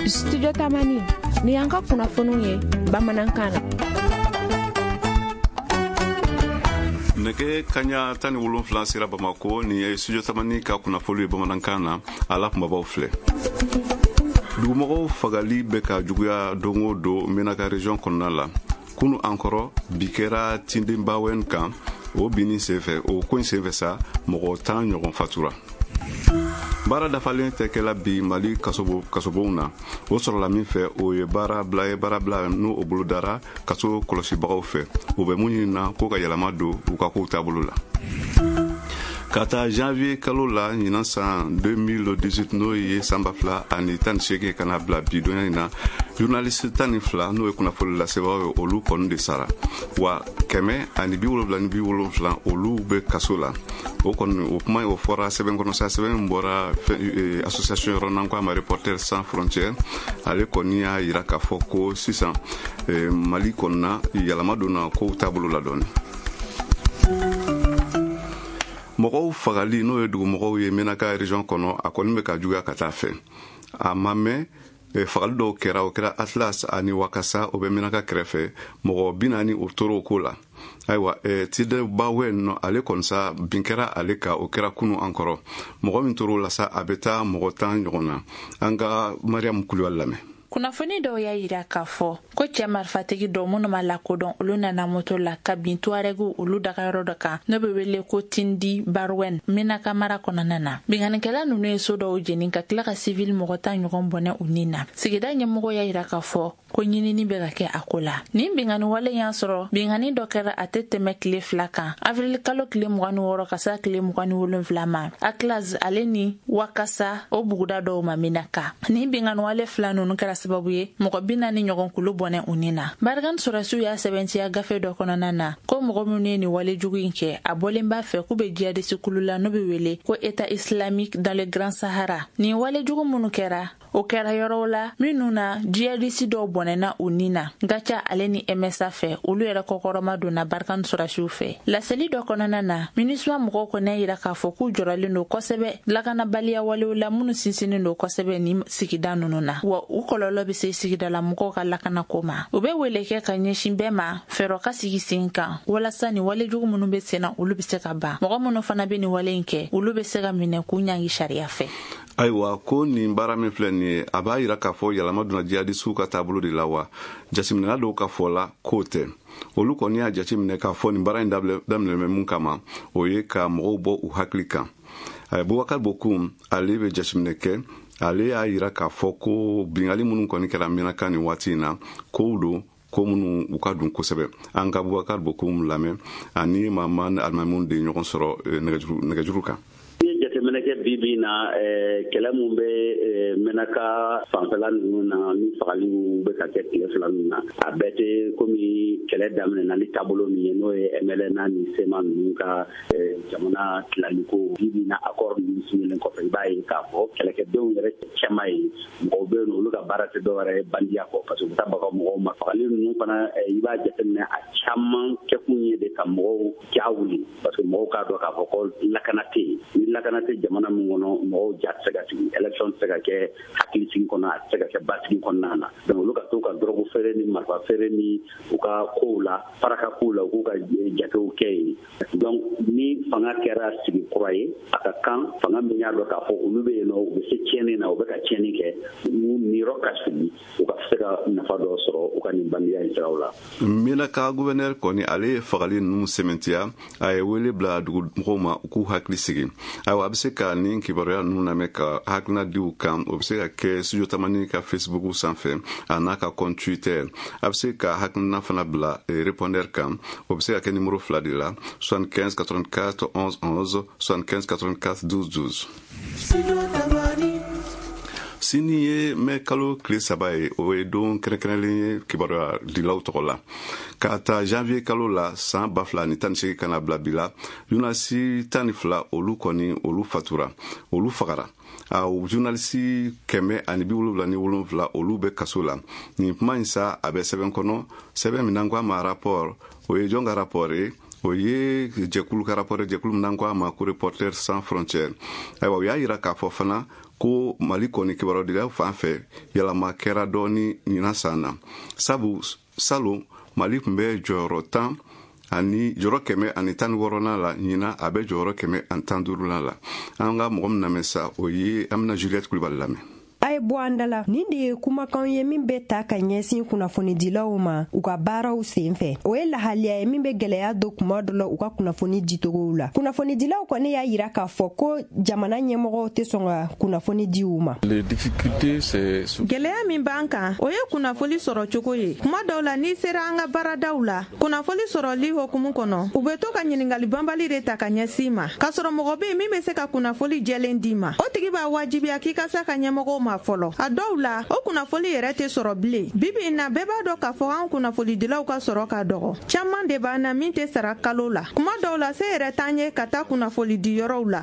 Studio Tamani ni y'an ka kunnafoniw ye bamanankan na. Nɛgɛ kaɲa 17 sera Bamako. Nin ye Studio Tamani ka kunnafoni ye bamanankan na. A la kunbabaw filɛ: dugumɔgɔw fagali bɛ ka juguya don o don Menaka région kɔnɔna la. Kunu an kɔrɔ bi kɛra Tindenbawɛn kan. O binni senfɛ, o ko in senfɛ sa, mɔgɔ 10 ɲɔgɔn fatura. Baara dafalen tɛ kɛla bi Mali kasobonw na. O sɔrɔla min fɛ, o ye baara bila ye, baara bila n'o o bolodara kaso kɔlɔsibagaw fɛ. U bɛ mun ɲini na? Ko ka yɛlɛma don u ka kow taabolo la. Ka taa janvier kalo la ɲinan san 2018, n'o ye san 2018, ka na bila bi donya in na, journaliste 12, n'o ye kunnafoni lasebagaw ye, olu kɔni de sara wa 177 olu bɛ kaso la. O kɔni, o kuma, o fɔra sɛbɛn kɔnɔ sa, sɛbɛn min bɔra association yɔrɔ n'an ko a ma Reporters sans frontières. Ale kɔni y'a yira k'a fɔ ko sisan Mali kɔnɔna yɛlɛma donna kow taabolo la dɔɔni. Mɔgɔw fagali, n'o ye dugumɔgɔw ye Menaka région kɔnɔ, a kɔni bɛ ka juguya ka taa fɛ. A ma mɛn, fagali dɔw kɛra. O kɛra Atlas ani Wakasa, o bɛ Menaka kɛrɛfɛ. Mɔgɔ 40, o tora o ko la. Ayiwa, Tidebawɛ nɔ, ale kɔni sa, bin kɛra ale kan. O kɛra kunu an kɔrɔ. Mɔgɔ min tor'o la sa, a bɛ taa mɔgɔ 10 ɲɔgɔn na. An ka Mariam Kulibali lamɛn. Kunnafoni dɔw y'a yira k'a fɔ ko cɛɛ marifatigi dɔw minnu ma lakodɔn, olu nana moto la ka bin Tuaregu olu dagayɔrɔ dɔ kan, n'o be wele ko Tindi Barwɛn, Menaka mara kɔnɔna na. Binkannikɛla nunu ye so dɔw jeni ka tila ka sivili mɔgɔ 10 ɲɔgɔn bɔnɛ u ni na. Sigida ɲɛmɔgɔ y'a yira k'a fɔ ko ɲinini bɛ ka kɛ a ko la. Nin binkanni wale y'a sɔrɔ binkanni dɔ kɛra a tɛ tɛmɛ tile 2 kan, avril kalo tile 26 ka se tile 27 ma, Atlas ale ni Wakasa, o buguda dɔw ma Menaka. Nin binkanni wale fila nunu kɛra sababu ye mɔgɔ 40 ɲɔgɔn kulu bɔnɛ u ni na. Barkhane sɔrɔdasiw y'a sɛbɛntiya gafe dɔ kɔnɔna na ko mɔgɔ minnu ye nin wale jugu in kɛ, a bɔlen b'a fɛ k'u bɛ jihadisi kulu la n'o bɛ wele ko État islamique dans le Grand Sahara. Nin wale jugu minnu kɛra, o kɛra yɔrɔw la minnu na jihadisi dɔw bɔnɛna u ni na. Gaca ale ni MSA fɛ, olu yɛrɛ kɔkɔrɔma donna Barkhane sɔrɔdasiw fɛ. Laseli dɔ kɔnɔna na, MINUSMA mɔgɔw kɔni y'a yira k'a fɔ k'u jɔrɔlen don kosɛbɛ lakanabaliya walew la minnu sinsinnen don kosɛbɛ nin sigida ninnu na, wa u kɔlɔlɔ bɛ se sigidala mɔgɔw ka lakanako ma. U bɛ wele kɛ ka ɲɛsin bɛɛ ma, fɛɛrɛ ka sigi sen kan walasa nin walejugu minnu bɛ sen na, olu bɛ se ka ban. Mɔgɔ minnu fana bɛ nin wale in kɛ, olu bɛ se ka minɛ k'u ɲangi sariya fɛ. Ayiwa, ko nin baara min filɛ nin ye, a b'a yira k'a fɔ yɛlɛma donna jihadisiw ka taabolo de la wa? Jateminɛla dɔw ka fɔ la k'o tɛ. Olu kɔni y'a jateminɛ k'a fɔ nin baara in daminɛ bɛ mun kama, o ye ka mɔgɔw bɔ u hakili kan. Bubakar Bokum, ale bɛ jateminɛ kɛ. Ale y'a yira k'a fɔ ko bingali minnu kɔni kɛra Menaka nin waati in na, kow don ko minnu u ka dun kosɛbɛ. An ka Bubakar Bokum lamɛn, ani Mama Alimamu de ɲɔgɔn sɔrɔ nɛgɛjuru kan. Ni jateminɛ kɛ bi bi na, kɛlɛ mun bɛ Menaka fanfɛla ninnu na ni fagaliw bɛ ka kɛ tile 2 ninnu na, a bɛɛ tɛ komi kɛlɛ daminɛna ni taabolo min ye, n'o ye MLNA ni CMA ninnu ka jamana tilaliko. Bi bi na, accord ninnu signelen kɔfɛ, i b'a ye k'a fɔ kɛlɛkɛdenw yɛrɛ cɛma ye mɔgɔw bɛ yen nɔ, olu ka baara tɛ dɔwɛrɛ ye bandiya kɔ, parce que u bɛ taa baga mɔgɔw ma. Fagali ninnu fana, i b'a jateminɛ, a caman kɛkun ye de ka mɔgɔw ja wuli, parce que mɔgɔw k'a dɔn k'a fɔ ko lakana tɛ yen. Ni lakana tɛ jamana min kɔnɔ, mɔgɔw ja tɛ se ka sigi, élection tɛ se ka kɛ hakilisigi kɔnɔ, a tɛ se ka kɛ basigi kɔnɔna na. Donc olu ka to ka drogue feere ni marifa feere ni u ka kow la, paraka kow la, u k'u ka jatew kɛ yen. Donc ni fanga kɛra sigi kura ye, a ka kan fanga min y'a dɔn k'a fɔ olu bɛ yen nɔ, u bɛ se tiɲɛni na, u bɛ ka tiɲɛni kɛ, u niyɔrɔ ka sigi, u ka se ka nafa dɔ sɔrɔ u ka nin bandiya in siraw la. Menaka gouverneur kɔni, ale ye fagali ninnu sɛmɛntiya. A ye wele bila dugumɔgɔw ma u k'u hakili sigi. Ayiwa, a bɛ se ka nin kibaruya ninnu lamɛn ka hakilina di u kan. O bɛ se ka kɛ Studio Tamani ka Facebook sanfɛ, a n'a ka compte Twitter. A bɛ se ka hakilina fana bila répondeur kan. O bɛ se ka kɛ numéro fila de la: 75 84 11 11, 75 84 12 12. Sini ye mɛ kalo tile 3 ye. O ye don kɛrɛnkɛrɛnlen ye kibaruya dilaw tɔgɔ la. K'a ta janvier kalo la san 2018 ka na bila bi la, journaliste 12, olu kɔni, olu fatura, olu fagara. A journaliste 177, olu bɛ kaso la. Nin kuma in sa, a bɛ sɛbɛn kɔnɔ, sɛbɛn min n'an ko a ma rapport. O ye jɔn ka rapport ye? O ye jɛkulu ka rapport ye, jɛkulu min n'an ko a ma ko Reporters sans frontières. Ayiwa, u y'a yira k'a fɔ fana ko Mali kɔni kibarudilaw fan fɛ, yɛlɛma kɛra dɔɔni ɲinan san na, sabu salon Mali tun bɛ jɔyɔrɔ 10 ani jɔyɔrɔ 116nan la, ɲinan a bɛ jɔyɔrɔ 115nan la. An ka mɔgɔ min lamɛn sa, o ye an bɛna Juliette Kulibali lamɛn. A ye bɔ an da la. Nin de ye kumakanw ye min bɛ ta ka ɲɛsin kunnafonidilaw ma u ka baaraw sen fɛ. O ye lahaliya ye min bɛ gwɛlɛya don kuma dɔ la u ka kunnafoni dicogow la. Kunnafonidilaw kɔni y'a yira k'a fɔ ko jamana ɲɛmɔgɔw tɛ sɔn ka kunnafoni di u ma. Gwɛlɛya min b'an kan, o ye kunnafoli sɔrɔ cogo ye. Kuma dɔw la, n'i sera an ka baaradaw la, kunnafoli sɔrɔli hokumu kɔnɔ, u bɛ to ka ɲiningali banbali de ta ka ɲɛsin ma, k'a sɔrɔ mɔgɔ bɛ yen min bɛ se ka kunnafoli jɛlen d'i ma. O tigi b'a wajibiya k'i ka s'a ka ɲɛmɔgɔw ma fɔlɔ. A dɔw la, o kunnafoli yɛrɛ tɛ sɔrɔ bilen. Bibi in na, bɛɛ b'a dɔn k'a fɔ an kunnafolidilaw ka sɔrɔ ka dɔgɔ. Caman de b'an na min tɛ sara kalo la. Kuma dɔw la, se yɛrɛ t'an ye ka taa kunnafoli di yɔrɔw la.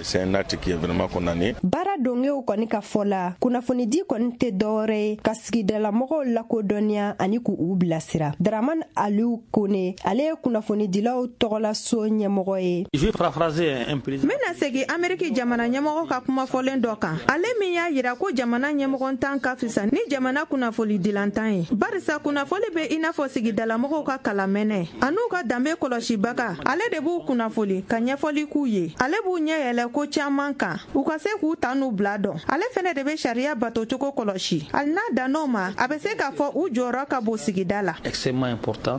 Baara dongew kɔni ka fɔ la, kunnafonidi kɔni tɛ dɔwɛrɛ ye ka sigidalamɔgɔw lakodɔnniya ani k'u bilasira. Daraman Aliu Kone, ale ye kunnafonidilaw tɔgɔlaso ɲɛmɔgɔ ye. N bɛna segin Ameriki jamana ɲɛmɔgɔ ka kuma fɔlen dɔ kan, ale min y'a yira ko jamana ɲɛmɔgɔntan ka fisa ni jamana kunnafonidilantan ye, barisa kunnafoli bɛ i n'a fɔ sigidalamɔgɔw ka kalamɛnɛ an'u ka danbe kɔlɔsibaga. Ale de b'u kunnafoli ka ɲɛfɔli k'u ye, ale b'u ɲɛ yɛlɛ ko caman kan u ka se k'u ta n'u bila dɔn. Ale fɛnɛ de bɛ sariya batocogo kɔlɔsi. Hali n'a dann'o ma, a bɛ se k'a fɔ u jɔyɔrɔ ka bon sigida la.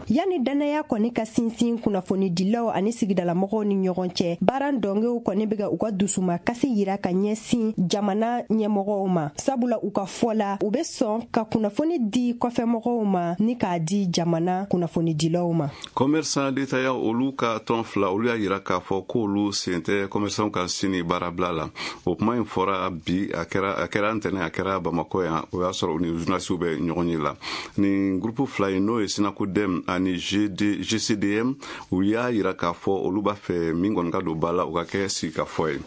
Yanni dannaya kɔni ka sinsin kunnafonidilaw ani sigidalamɔgɔw ni ɲɔgɔn cɛ, baara dɔngew kɔni bɛ ka u ka dusuma kasi yira ka ɲɛsin jamana ɲɛmɔgɔw ma, sabula u ka fɔ la, u bɛ sɔn ka kunnafoni di kɔfɛmɔgɔw ma ni k'a di jamana kunnafonidilaw ma. Commerçant détaillant olu ka tɔn fila, olu y'a yira k'a fɔ k'olu sen tɛ commerçant ka sini baarabila la. O kuma in fɔra bi, a kɛra ntɛnɛn, a kɛra Bamakɔ yan. O y'a sɔrɔ u ni journalistes bɛ ɲɔgɔn ye la. Nin groupe fila in, n'o ye SYNACODEM ani GCDM, u y'a yira k'a fɔ olu b'a fɛ min kɔni ka don ba la, o ka kɛ sigikafɔ ye.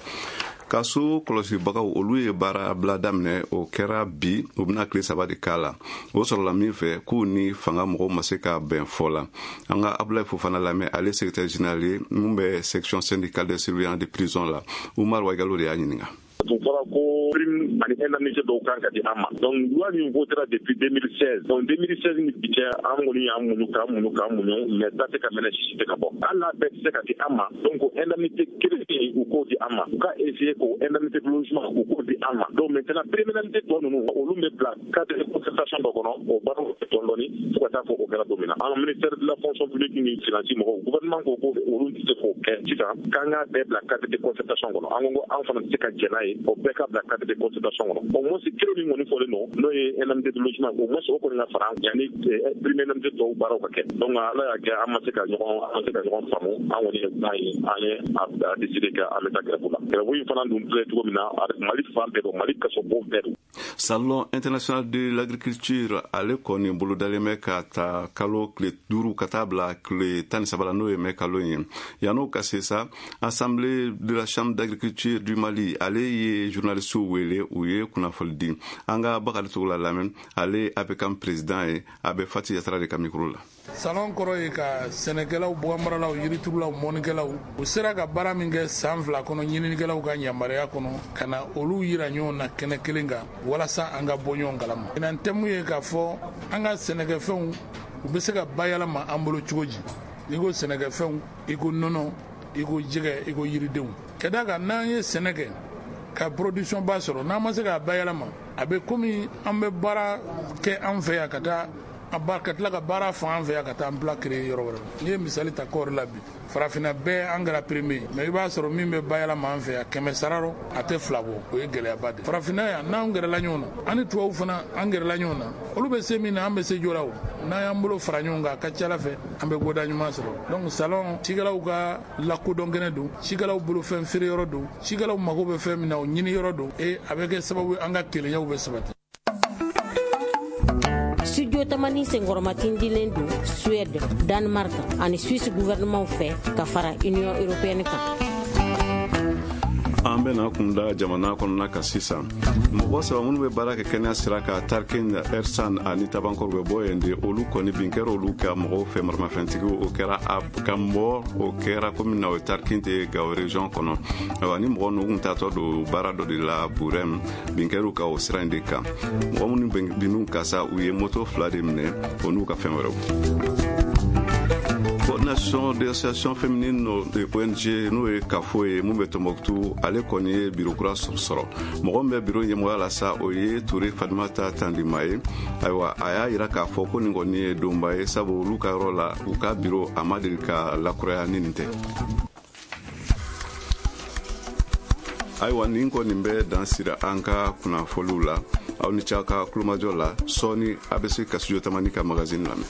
Kaso kɔlɔsibagaw, olu ye baara bila daminɛ. O kɛra bi, u bɛna tile 3 de k'a la. O sɔrɔla min fɛ, k'u ni fanga mɔgɔw ma se ka bɛn fɔ la. An ka Abulayi Fofana lamɛn, ale secrétaire général ye mun bɛ section syndicale des surveillants de prison la. Umar Wagalo de y'a ɲininka. Tun fɔra ko prime ani indemnité dɔw kan ka di an ma. Donc loi min votera depuis 2016, donc 2016 ni bi cɛ, an kɔni y'an muɲu k'an muɲu k'an muɲu, mais da tɛ ka mɛnɛ, sisi tɛ ka bɔ. Hali n'a bɛɛ tɛ se ka di an ma, donc indemnité kelen u k'o di an ma, u ka essayer k'o indemnité de logement u k'o di an ma. Donc maintenant, prime indemnité tɔ ninnu, olu bɛ bila cadre de concertation dɔ kɔnɔ. O baaraw dɔɔni dɔɔni fo ka taa fɔ o kɛra don min na, an ministère de la Fonction publique ni finance mɔgɔw, gouvernement ko ko olu tɛ se k'o kɛ sisan, k'an k'a bɛɛ bila cadre de concertation kɔnɔ. An ko an fana tɛ se ka jɛn n'a ye, o bɛɛ ka bila cadre de concertation kɔnɔ. Au moins kelen min kɔni fɔlen don, n'o ye indemnité de logement, au moins o kɔni ka fara yanni prime indemnité tɔw baaraw ka kɛ. Donc Ala y'a kɛ, an ma se ka ɲɔgɔn faamu. An kɔni ye kuma ye, an ye a décidé que an bɛ taa grève la. Grève in fana dun filɛ cogo min na, Mali fan bɛɛ don, Mali kasobon bɛɛ don. Salon international de l'agriculture, ale kɔni bolodalen bɛ ka ta kalo tile 5 ka taa bila tile 13 la, n'o ye mɛ kalo ye. Yan'o ka se sa, assemblée de la Chambre d'agriculture du Mali, ale ye journalistew wele, u ye kunnafoli di. An ka Bakari Togola lamɛn, ale APCAM président ye, a bɛ Fati Yatara de ka micro la. Salon kɔrɔ ye ka sɛnɛkɛlaw, baganmaralaw, yiriturulaw, mɔnikɛlaw, u sera ka baara min kɛ san 2 kɔnɔ, ɲininikɛlaw ka yamaruya kɔnɔ, ka na olu yira ɲɔgɔn na kɛnɛ kelen kan walasa an ka bɔ ɲɔgɔn kalama. Ɲinan thème ye k'a fɔ an ka sɛnɛkɛfɛnw, u bɛ se ka bayɛlɛma an bolo cogo di. N'i ko sɛnɛkɛfɛnw, i ko nɔnɔ, i ko jɛgɛ, i ko yiridenw. Ka d'a kan, n'an ye sɛnɛ kɛ ka production ba sɔrɔ, n'an ma se k'a bayɛlɛma, a bɛ komi an bɛ baara kɛ an fɛ yan ka taa ka tila ka baara fan an fɛ yan ka taa emploi créer yɔrɔ wɛrɛ. N'i ye misali ta kɔɔri la bi, farafinna bɛɛ an kɛra premier, mais i b'a sɔrɔ min bɛ bayɛlɛma an fɛ yan, 100 sara rɔ, a tɛ 2 bɔ. O ye gɛlɛyaba de ye farafinna yan. N'an gɛrɛla ɲɔgɔn na, an ni tubabuw fana an gɛrɛla ɲɔgɔn na, olu bɛ se min na, an bɛ se joona. O n'an y'an bolo fara ɲɔgɔn kan, a ka ca ala fɛ an bɛ goda ɲuman sɔrɔ. Donc salon, cikɛlaw ka lakodɔn kɛnɛ don, cikɛlaw bolofɛn feere yɔrɔ don, cikɛlaw mago bɛ fɛn min na, o ɲini yɔrɔ don, e a bɛ kɛ sababu ye an ka kelenyaw bɛ sabati. Studio Tamani senkɔrɔmatindilen don Suède, Danemark ani Suisse gouvernement fɛ ka fara Union européenne kan. An bɛ Bɛna kunda jamana kɔnɔna kan sisan. Mɔgɔ saba minnu bɛ baara kɛ kɛnɛya sira kan Tarkin, Ersan ani Tabankɔrɔ, bɛ bɔ yen de. Olu kɔni, bin kɛra olu ka mɔgɔw fɛ, maramafɛntigiw. O kɛra a ka mɔ o kɛra komi na o ye Tarkin tɛ Gawo région kɔnɔ. Ayiwa, ni mɔgɔ ninnu kun taatɔ don baara dɔ de la Burɛm, bin kɛr'u ka o sira in de kan. Mɔgɔ minnu binn'u kan sa, u ye moto fila de minɛ, o n'u ka fɛn wɛrɛw. Coordination des associations féminines de ONG, n'o ye kafo ye mun bɛ Tombouctou, ale kɔni ye biro kura sɔrɔ. Mɔgɔ min bɛ biro ɲɛmɔgɔya la sa, o ye Ture Fadimata Tandima ye. Ayiwa, a y'a yira k'a fɔ ko nin kɔni ye donba ye, sabu olu ka yɔrɔ la, u ka biro a ma deli ka lakuraya ni nin tɛ. Ayiwa, nin kɔni bɛ dan sira an ka kunnafoliw la. Aw ni ce ka kulomajɔ la. Sɔɔni a bɛ se ka Studio Tamani ka magazine lamɛn.